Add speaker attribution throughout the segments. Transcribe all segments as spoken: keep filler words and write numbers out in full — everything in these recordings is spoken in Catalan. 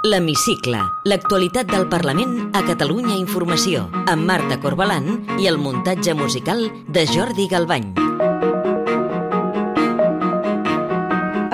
Speaker 1: L'Hemicicle, l'actualitat del Parlament a Catalunya Informació, amb Marta Corbalán i el muntatge musical de Jordi Galbany.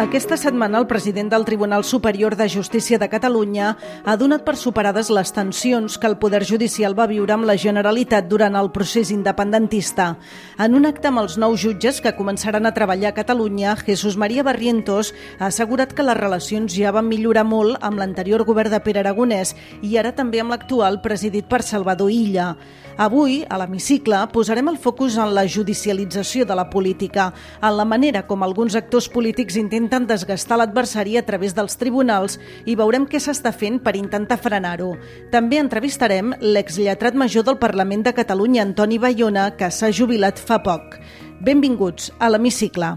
Speaker 2: Aquesta setmana el president del Tribunal Superior de Justícia de Catalunya ha donat per superades les tensions que el Poder Judicial va viure amb la Generalitat durant el procés independentista. En un acte amb els nous jutges que començaran a treballar a Catalunya, Jesús María Barrientos ha assegurat que les relacions ja van millorar molt amb l'anterior govern de Pere Aragonès i ara també amb l'actual presidit per Salvador Illa. Avui, a l'Hemicicle, posarem el focus en la judicialització de la política, en la manera com alguns actors polítics intenten desgastar l'adversari a través dels tribunals i veurem què s'està fent per intentar frenar-ho. També entrevistarem l'exlletrat major del Parlament de Catalunya, Antoni Bayona, que s'ha jubilat fa poc. Benvinguts a l'Hemicicle.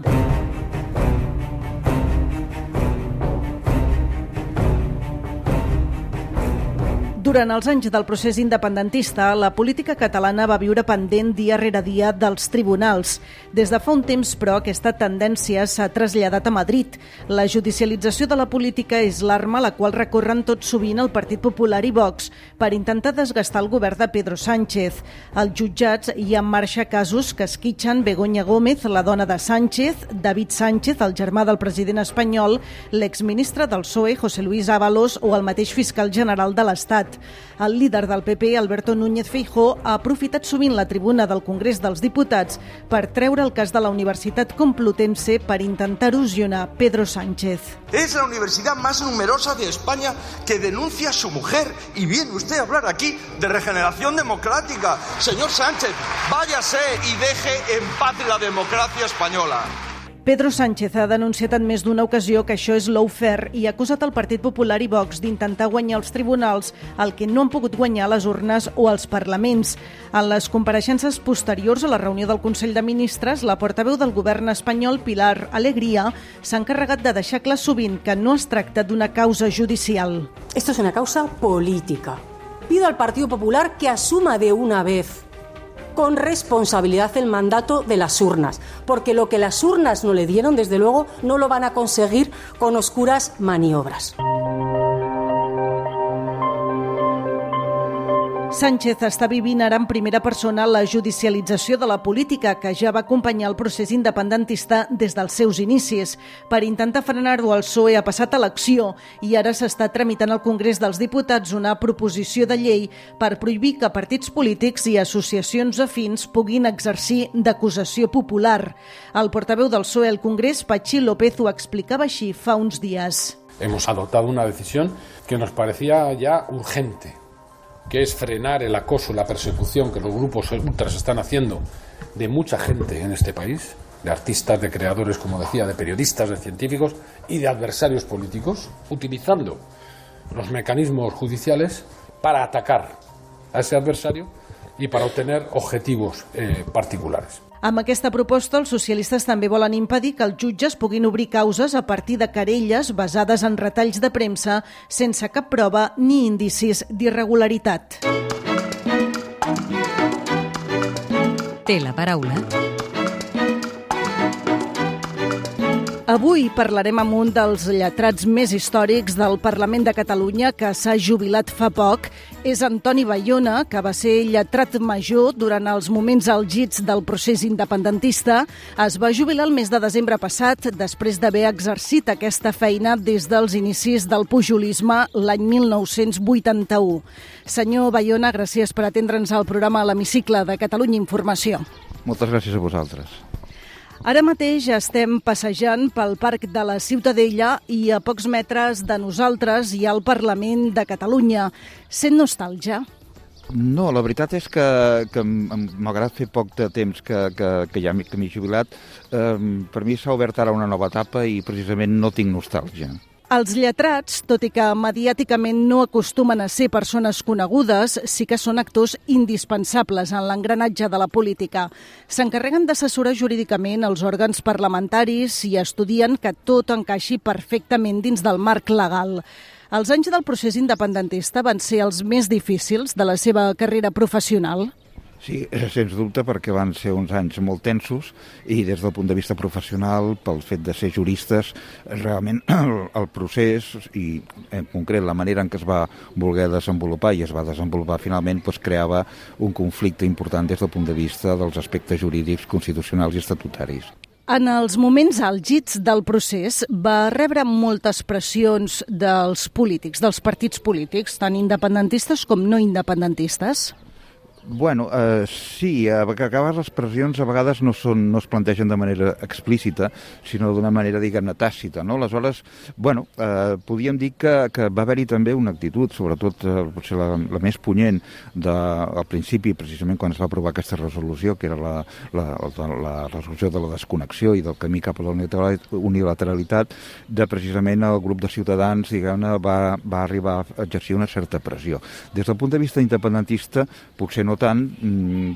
Speaker 2: Durant els anys del procés independentista, la política catalana va viure pendent dia rere dia dels tribunals. Des de fa un temps, però, aquesta tendència s'ha traslladat a Madrid. La judicialització de la política és l'arma a la qual recorren tot sovint el Partit Popular i Vox per intentar desgastar el govern de Pedro Sánchez. Als jutjats hi ha en marxa casos que esquitxen Begoña Gómez, la dona de Sánchez, David Sánchez, el germà del president espanyol, l'exministre del P S O E, José Luis Ábalos, o el mateix fiscal general de l'Estat. El líder del P P, Alberto Núñez Feijóo, ha aprofitat sovint la tribuna del Congrés dels Diputats per treure el cas de la Universitat Complutense per intentar erosionar Pedro Sánchez.
Speaker 3: Es la universidad más numerosa de España que denuncia a su mujer y viene usted a hablar aquí de regeneración democrática. Señor Sánchez, váyase y deje en paz la democracia española.
Speaker 2: Pedro Sánchez ha denunciat en més d'una ocasió que això és lawfare i ha acusat el Partit Popular i Vox d'intentar guanyar els tribunals el que no han pogut guanyar les urnes o els parlaments. En les compareixences posteriors a la reunió del Consell de Ministres, la portaveu del govern espanyol, Pilar Alegría, s'ha encarregat de deixar clar sovint que no es tracta d'una causa judicial.
Speaker 4: Esto es una causa política. Pido al Partido Popular que asuma de una vez con responsabilidad el mandato de las urnas, porque lo que las urnas no le dieron, desde luego, no lo van a conseguir con oscuras maniobras.
Speaker 2: Sánchez està vivint ara en primera persona la judicialització de la política que ja va acompanyar el procés independentista des dels seus inicis. Per intentar frenar-ho, el P S O E ha passat a l'acció i ara s'està tramitant al Congrés dels Diputats una proposició de llei per prohibir que partits polítics i associacions afins puguin exercir d'acusació popular. El portaveu del P S O E al Congrés, Patxi López, ho explicava així fa uns dies.
Speaker 5: Hemos adoptado una decisión que nos parecía ya urgente, que es frenar el acoso y la persecución que los grupos ultras están haciendo de mucha gente en este país, de artistas, de creadores, como decía, de periodistas, de científicos y de adversarios políticos, utilizando los mecanismos judiciales para atacar a ese adversario y para obtener objetivos eh, particulares.
Speaker 2: Amb aquesta proposta, els socialistes també volen impedir que els jutges puguin obrir causes a partir de querelles basades en retalls de premsa sense cap prova ni indicis d'irregularitat.
Speaker 1: Té la paraula.
Speaker 2: Avui parlarem amb un dels lletrats més històrics del Parlament de Catalunya que s'ha jubilat fa poc. És Antoni Bayona, que va ser lletrat major durant els moments àlgids del procés independentista. Es va jubilar el mes de desembre passat després d'haver exercit aquesta feina des dels inicis del pujolisme l'any mil nou-cents vuitanta-u. Senyor Bayona, gràcies per atendre'ns al programa a l'Hemicicle de Catalunya Informació.
Speaker 6: Moltes gràcies a vosaltres.
Speaker 2: Ara mateix estem passejant pel Parc de la Ciutadella i a pocs metres de nosaltres hi ha el Parlament de Catalunya. Sent nostàlgia?
Speaker 6: No, la veritat és que, que malgrat fer poc de temps que, que, que ja m'he jubilat, eh, per mi s'ha obert ara una nova etapa i precisament no tinc nostàlgia.
Speaker 2: Els lletrats, tot i que mediàticament no acostumen a ser persones conegudes, sí que són actors indispensables en l'engranatge de la política. S'encarreguen d'assessorar jurídicament els òrgans parlamentaris i estudien que tot encaixi perfectament dins del marc legal. Els anys del procés independentista van ser els més difícils de la seva carrera professional?
Speaker 6: Sí, sens dubte, perquè van ser uns anys molt tensos i des del punt de vista professional, pel fet de ser juristes, realment el, el procés i en concret la manera en què es va voler desenvolupar i es va desenvolupar finalment doncs, creava un conflicte important des del punt de vista dels aspectes jurídics, constitucionals i estatutaris.
Speaker 2: En els moments àlgids del procés va rebre moltes pressions dels polítics, dels partits polítics, tant independentistes com no independentistes?
Speaker 6: Bueno, eh, sí, a vegades les pressions a vegades no, són, no es plantegen de manera explícita, sinó d'una manera, diguem-ne, tàcita, no? Aleshores, bueno, eh, podríem dir que, que va haver-hi també una actitud, sobretot eh, potser la, la més punyent de, al principi, precisament quan es va aprovar aquesta resolució, que era la, la, la, la resolució de la desconnexió i del camí cap a la unilateralitat, de precisament el grup de ciutadans, diguem-ne, va, va arribar a exercir una certa pressió. Des del punt de vista independentista, potser no tant,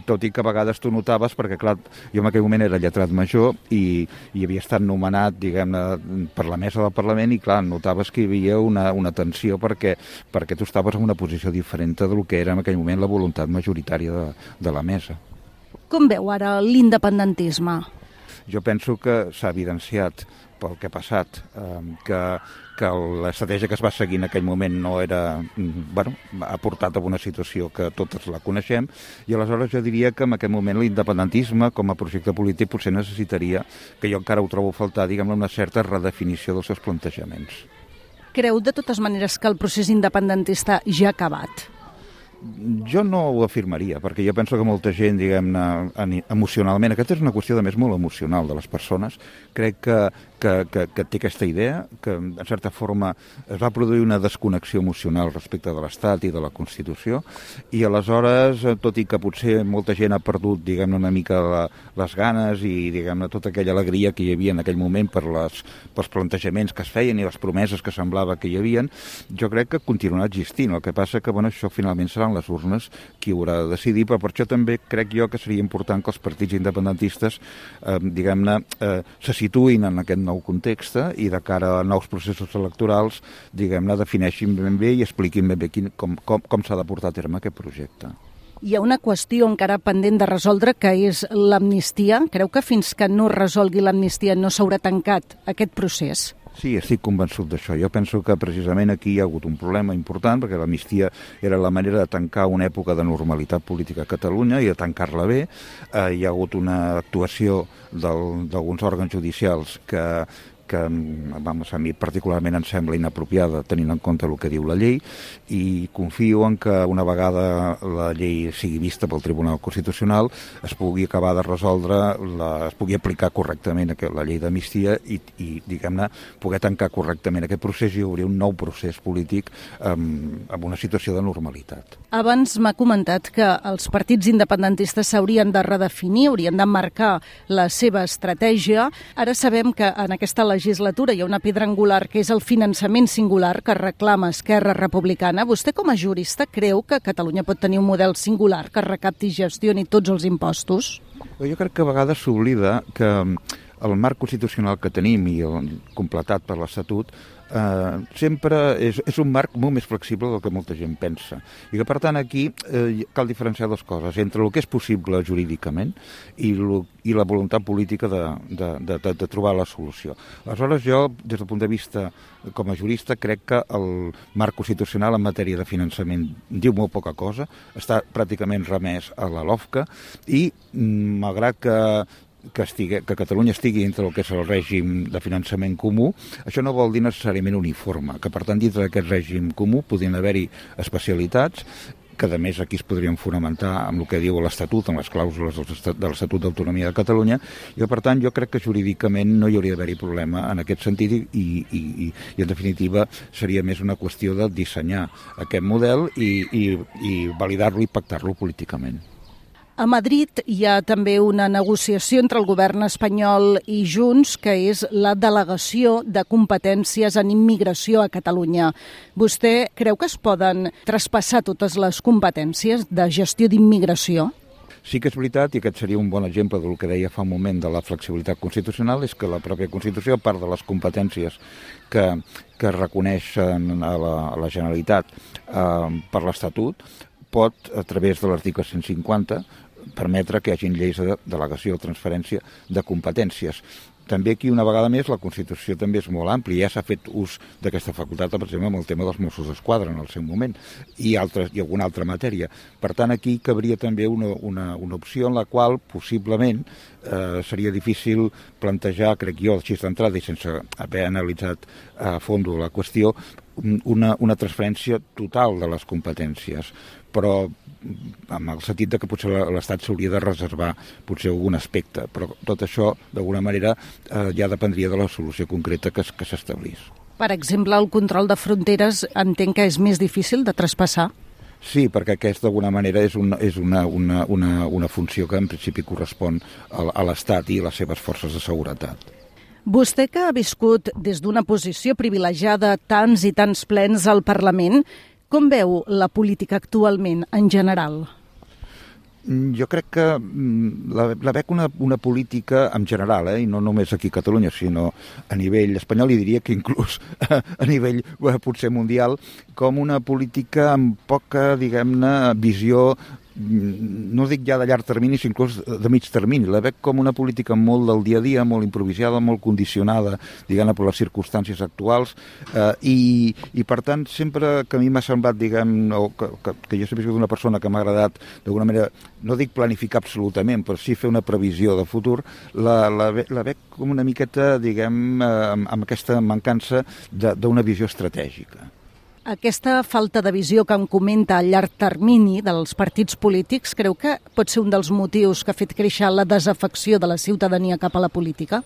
Speaker 6: tot i que a vegades tu notaves, perquè clar, jo en aquell moment era lletrat major i, i havia estat nomenat, diguem-ne, per la mesa del Parlament i clar, notaves que hi havia una, una tensió perquè, perquè tu estaves en una posició diferent del que era en aquell moment la voluntat majoritària de, de la mesa.
Speaker 2: Com veu ara l'independentisme?
Speaker 6: Jo penso que s'ha evidenciat pel que ha passat, eh, que, que l'estratègia que es va seguir en aquell moment no era, bueno, ha portat a una situació que totes la coneixem, i aleshores jo diria que en aquest moment l'independentisme com a projecte polític potser necessitaria, que jo encara ho trobo a faltar, diguem-ne, una certa redefinició dels seus plantejaments.
Speaker 2: Creu de totes maneres que el procés independentista ja ha acabat?
Speaker 6: Jo no ho afirmaria, perquè jo penso que molta gent, diguem-ne, emocionalment, aquesta és una qüestió de més molt emocional de les persones, crec que, que, que, que té aquesta idea, que en certa forma es va produir una desconnexió emocional respecte de l'Estat i de la Constitució, i aleshores, tot i que potser molta gent ha perdut, diguem-ne, una mica la, les ganes i, diguem-ne, tota aquella alegria que hi havia en aquell moment per les, pels plantejaments que es feien i les promeses que semblava que hi havien, jo crec que continuarà existint. El que passa que, bueno, això finalment serà les urnes qui haurà de decidir, però per això també crec jo que seria important que els partits independentistes eh, diguem-ne, eh, se situïn en aquest nou context i de cara a nous processos electorals, diguem-ne, defineixin ben bé i expliquin ben bé quin, com, com, com s'ha de portar a terme aquest projecte.
Speaker 2: Hi ha una qüestió encara pendent de resoldre, que és l'amnistia. Creu que fins que no resolgui l'amnistia no s'haurà tancat aquest procés?
Speaker 6: Sí, estic convençut d'això. Jo penso que precisament aquí hi ha hagut un problema important, perquè l'amnistia era la manera de tancar una època de normalitat política a Catalunya i de tancar-la bé. Eh, hi ha hagut una actuació d'alguns òrgans judicials que que vamos, a mi particularment em sembla inapropiada tenint en compte el que diu la llei, i confio en que una vegada la llei sigui vista pel Tribunal Constitucional es pugui acabar de resoldre, la, es pugui aplicar correctament la llei d'amnistia i, i diguem-ne, poder tancar correctament aquest procés i obrir un nou procés polític amb, amb una situació de normalitat.
Speaker 2: Abans m'ha comentat que els partits independentistes s'haurien de redefinir, haurien de marcar la seva estratègia. Ara sabem que en aquesta legislatura hi ha una pedra angular que és el finançament singular que reclama Esquerra Republicana. Vostè com a jurista creu que Catalunya pot tenir un model singular que recapti i gestioni tots els impostos?
Speaker 6: Jo crec que a vegades s'oblida que el marc constitucional que tenim i el completat per l'Estatut eh, sempre és, és un marc molt més flexible del que molta gent pensa. I que, per tant, aquí eh, cal diferenciar dues coses, entre el que és possible jurídicament i, lo, i la voluntat política de, de, de, de, de trobar la solució. Aleshores, jo, des del punt de vista com a jurista, crec que el marc constitucional en matèria de finançament diu molt poca cosa, està pràcticament remès a la LOFCA i, malgrat que Que, estigui, que Catalunya estigui entre el que és el règim de finançament comú, això no vol dir necessàriament uniforme, que per tant dintre d'aquest règim comú podrien haver-hi especialitats que a més aquí es podrien fonamentar amb el que diu l'Estatut, amb les clàusules de l'Estatut d'Autonomia de Catalunya, i per tant jo crec que jurídicament no hi hauria d'haver-hi problema en aquest sentit i, i, i, i en definitiva seria més una qüestió de dissenyar aquest model i, i, i validar-lo i pactar-lo políticament.
Speaker 2: A Madrid hi ha també una negociació entre el govern espanyol i Junts, que és la delegació de competències en immigració a Catalunya. Vostè creu que es poden traspassar totes les competències de gestió d'immigració?
Speaker 6: Sí que és veritat, i aquest seria un bon exemple del que deia fa un moment de la flexibilitat constitucional, és que la pròpia Constitució, a part de les competències que, que reconeixen a la, a la Generalitat eh, per l'Estatut, pot, a través de l'article cent cinquanta, permetre que hi hagin lleis de delegació o transferència de competències. També aquí, una vegada més, la Constitució també és molt àmplia. Ja s'ha fet ús d'aquesta facultat, per exemple, amb el tema dels Mossos d'Esquadra en el seu moment i, altres, i alguna altra matèria. Per tant, aquí cabria també una, una, una opció en la qual possiblement eh, seria difícil plantejar, crec jo, així d'entrada i sense haver analitzat a fons la qüestió, una, una transferència total de les competències. Però amb el sentit de que potser l'Estat s'hauria de reservar potser algun aspecte, però tot això d'alguna manera eh, ja dependria de la solució concreta que, que s'establís.
Speaker 2: Per exemple, el control de fronteres entenc que és més difícil de traspassar?
Speaker 6: Sí, perquè aquest d'alguna manera és, una, és una, una, una, una funció que en principi correspon a, a l'Estat i a les seves forces de seguretat.
Speaker 2: Vostè, que ha viscut des d'una posició privilegiada tants i tants plens al Parlament, com veu la política actualment, en general?
Speaker 6: Jo crec que la, la veig una, una política en general, eh, i no només aquí a Catalunya, sinó a nivell espanyol, i diria que inclús a nivell eh, potser mundial, com una política amb poca, diguem-ne, visió, no dic ja de llarg termini, sinó inclús de mig termini. La veig com una política molt del dia a dia, molt improvisada, molt condicionada, diguem-ne, per les circumstàncies actuals, eh, i, i per tant, sempre que a mi m'ha semblat, diguem, o que, que, que jo sempre he sigut una persona que m'ha agradat, d'alguna manera, no dic planificar absolutament, però sí fer una previsió de futur, la, la, la veig com una miqueta, diguem, eh, amb, amb aquesta mancança d'una visió estratègica.
Speaker 2: Aquesta falta de visió que em comenta a llarg termini dels partits polítics, creu que pot ser un dels motius que ha fet créixer la desafecció de la ciutadania cap a la política?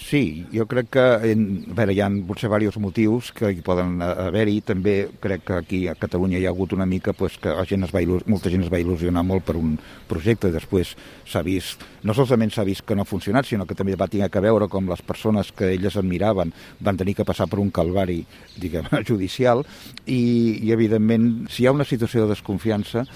Speaker 6: Sí, jo crec que en, a veure, hi ha potser diversos motius que hi poden haver-hi. També crec que aquí a Catalunya hi ha hagut una mica pues, que la gent es va il·lus... molta gent es va il·lusionar molt per un projecte i després s'ha vist, no solament s'ha vist que no ha funcionat, sinó que també va tenir que veure com les persones que elles admiraven van tenir que passar per un calvari, diguem, judicial i, i evidentment, si hi ha una situació de desconfiança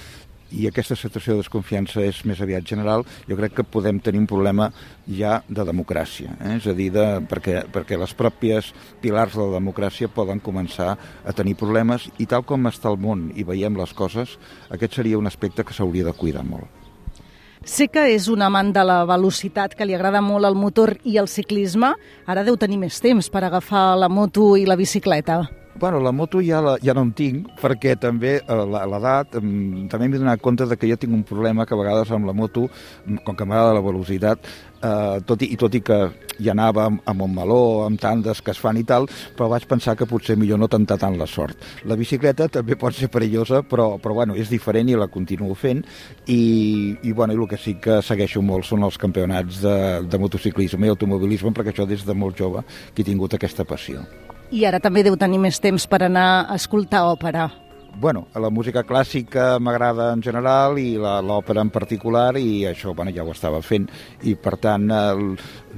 Speaker 6: i aquesta situació de desconfiança és més aviat general, jo crec que podem tenir un problema ja de democràcia. Eh? És a dir, de, perquè, perquè les pròpies pilars de la democràcia poden començar a tenir problemes i tal com està el món i veiem les coses, aquest seria un aspecte que s'hauria de cuidar molt.
Speaker 2: Sé que és un amant de la velocitat, que li agrada molt el motor i el ciclisme. Ara deu tenir més temps per agafar la moto i la bicicleta.
Speaker 6: Bueno, la moto ja, la, ja no en tinc, perquè també a l'edat també m'he donat compte de que jo tinc un problema que a vegades amb la moto, com que m'agrada la velocitat, eh, tot i, i tot i que hi anava a Montmeló, amb tandes que es fan i tal, però vaig pensar que potser millor no tentar tant la sort. La bicicleta també pot ser perillosa, però, però bueno, és diferent i la continuo fent, i, i, bueno, i el que sí que segueixo molt són els campionats de, de motociclisme i automobilisme, perquè això des de molt jove que he tingut aquesta passió.
Speaker 2: I ara també deu tenir més temps per anar a escoltar òpera.
Speaker 6: Bueno, la música clàssica m'agrada en general i l'òpera en particular, i això bueno, ja ho estava fent, i per tant el,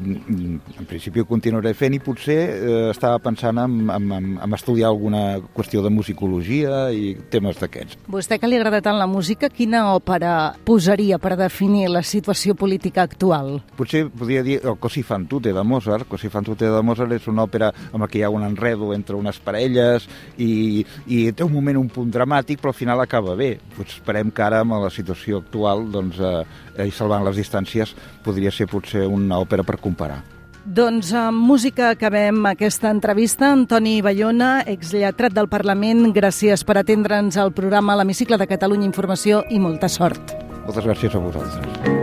Speaker 6: en principi ho continuaré fent, i potser eh, estava pensant en, en, en estudiar alguna qüestió de musicologia i temes d'aquests.
Speaker 2: Vostè, que li agrada tant la música, quina òpera posaria per definir la situació política actual?
Speaker 6: Potser podria dir el Così fan tutte de Mozart. Così fan tutte de Mozart és una òpera amb la que hi ha un enredo entre unes parelles i, i té un moment un punt dramàtic, però al final acaba bé. Pues esperem que ara, amb la situació actual, doncs, eh, i salvant les distàncies, podria ser potser una òpera per comparar.
Speaker 2: Doncs amb música acabem aquesta entrevista. Antoni Bayona, exlletrat del Parlament, gràcies per atendre'ns al programa L'Hemicicle de Catalunya Informació i molta sort.
Speaker 6: Moltes gràcies a vosaltres.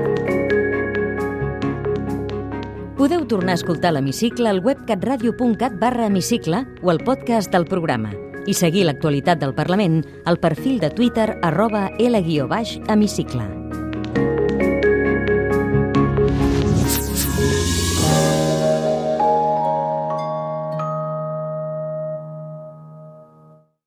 Speaker 1: Podeu tornar a escoltar l'Hemicicle al web catradio punt cat barra hemicicle o al podcast del programa i seguir l'actualitat del Parlament al perfil de Twitter arroba L guió baix hemicicle.